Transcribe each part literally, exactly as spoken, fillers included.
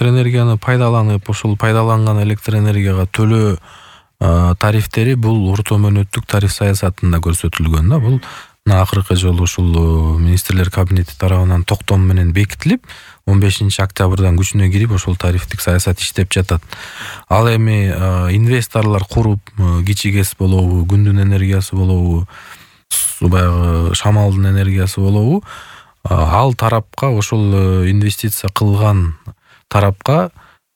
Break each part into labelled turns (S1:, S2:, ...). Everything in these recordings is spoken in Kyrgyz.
S1: электр энергияны пайдаланып, ошол пайдаланган электр энергияга төлөө тарифтери бул орто мөөнөттүк тариф саясатында көрсөтүлгөн да. Бул акыркы жолу ушул министрлер кабинети тарабынан токтом менен бекитилип, он бешинчи октябрдан күчүнө кирип, ошол тарифтик саясат иштеп жатат. Ал эми инвесторлор куруп, кичи ГЭС болобу, күндүн энергиясы болобу, баягы шамалдын энергиясы болобу, ал тарапка, ошол инвестиция кылган тарапка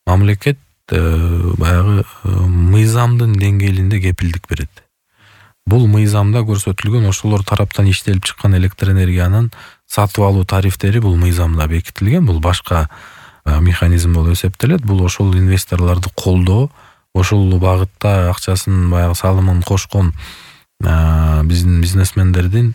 S1: мамлекет баягы мыйзамдын деңгээлинде кепилдик берет. Бул мыйзамда көрсөтүлгөн ошолор тараптан иштелип чыккан электр энергиянын сатып алуу тарифтери бул мыйзамда бекитилген. Бул башка механизм болуп эсептелет. Бул ошол инвесторлорду колдоо, ошол багытта акчасын, баягы салымын кошкон биздин бизнесмендердин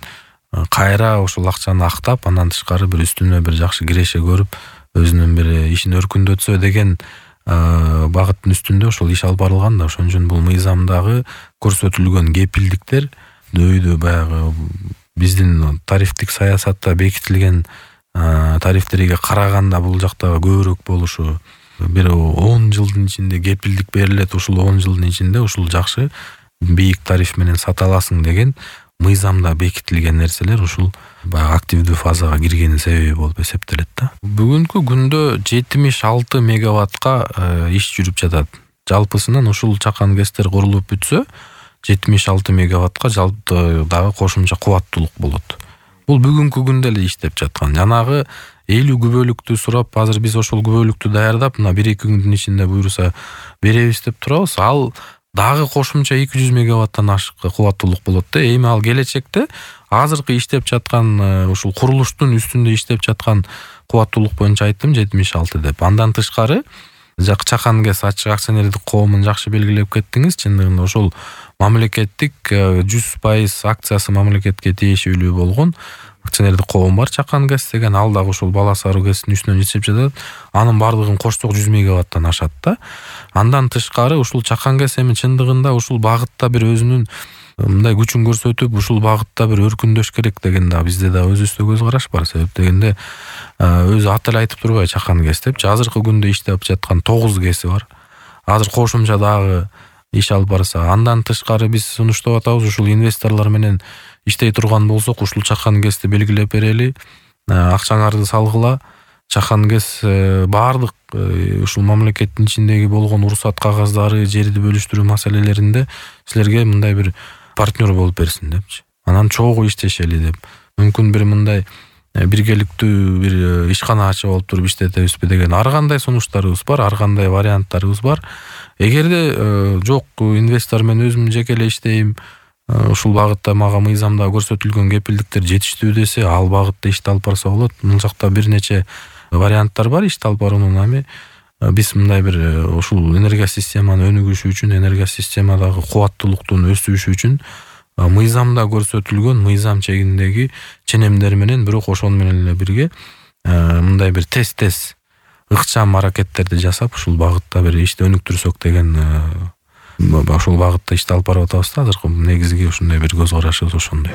S1: кайра ошол акчаны актап, андан тышкары бир үстүнө бир жакшы киреше көрүп, өзүнүн бир ишин өркүндөтсө деген багыттын үстүндө ошол иш алып барылган да. Ошон үчүн бул мыйзамдагы көрсөтүлгөн кепилдиктер дөйдө баягы биздин тарифтик саясатта бекитилген тарифтерге караганда бул жакта көбүрөөк болушу, бир он жылдын ичинде кепилдик берилет, ушул он жылдын ичинде ушул жакшы бийик тариф менен сата аласың деген мыйзамда бекитилген нерселер ушул баягы активдүү фазага киргенин себеби болуп эсептелет да. Бүгүнкү күндө жетимиш алты мегаваттка иш жүрүп жатат. Жалпысынан ушул чакан ГЭСтер курулуп бүтсө, жетимиш алты мегаваттка жалпы дагы кошумча кубаттуулук болот. Бул бүгүнкү күндө эле иштеп жаткан. Жанагы элүү күбөлүктү сурап, азыр биз ошол күбөлүктү даярдап, мына бир эки күндүн ичинде буюрса беребиз деп турабыз. Ал дагы кошумча эки жүз мегаваттан ашык кубаттуулук болот да. Эми ал келечекте азыркы иштеп жаткан ушул курулуштун үстүндө иштеп жаткан кубаттуулук боюнча айттым жетимиш алты деп. Андан тышкары чакан ГЭС ачык акционердик коомун жакшы белгилеп кеттиңиз. Чындыгында ошол мамлекеттик жүз пайыз акциясы мамлекетке тиешелүү болгон акционердик коом бар, чакан ГЭС деген. Ал дагы ошол Бала Саруу ГЭСтин үстүнөн иштеп жатат. Анын бардыгын кошсок жүз мегаваттан ашат да. Андан тышкары ушул чакан ГЭС эми чындыгында ушул багытта бир өзүнүн мындай күчүн көрсөтүп, ушул багытта бир өркүндөш керек деген да бизде да өзүбүздө көз караш бар. Себеп дегенде өзү аты эле айтып турбайбы, чакан ГЭС депчи. Азыркы күндө иштеп жаткан тогуз ГЭСи бар. Азыр кошумча дагы иш алып барса, андан тышкары биз сунуштап атабыз, ушул инвесторлор менен иштей турган болсок, ушул чакан ГЭСти белгилеп берели, акчаңарды салгыла. Чакан ГЭС баардык ушул мамлекеттин ичиндеги болгон уруксат кагаздары, жерди бөлүштүрүү маселелеринде силерге мындай бир партнер болуп берсин депчи. Анан чогуу иштешели деп. Мүмкүн бир мындай биргеликтүү бир ишкана ачып алып туруп иштетебизби деген ар кандай сунуштарыбыз бар, ар кандай варианттарыбыз бар. Эгерде жок, инвестор мен өзүм жеке эле иштейм, ушул багытта мага мыйзамда көрсөтүлгөн кепилдиктер жетиштүү десе, ал багытта ишти алып барса болот. Мына жакта бир нече варианттар бар ишти алып баруунун. Ами биз мындай бир ушул энергия системаны өнүгүшү үчүн, энергия системадагы кубаттуулуктун өсүшү үчүн мыйзамда көрсөтүлгөн мыйзам чегиндеги ченемдер менен, бирок ошол менен эле бирге мындай бир тез-тез ыкчам аракеттерди жасап, ушул багытта бир ишти өнүктүрсөк деген ошол багытта ишти алып барып атабыз да. Азыркы негизги ушундай бир көз карашыбыз ошондой.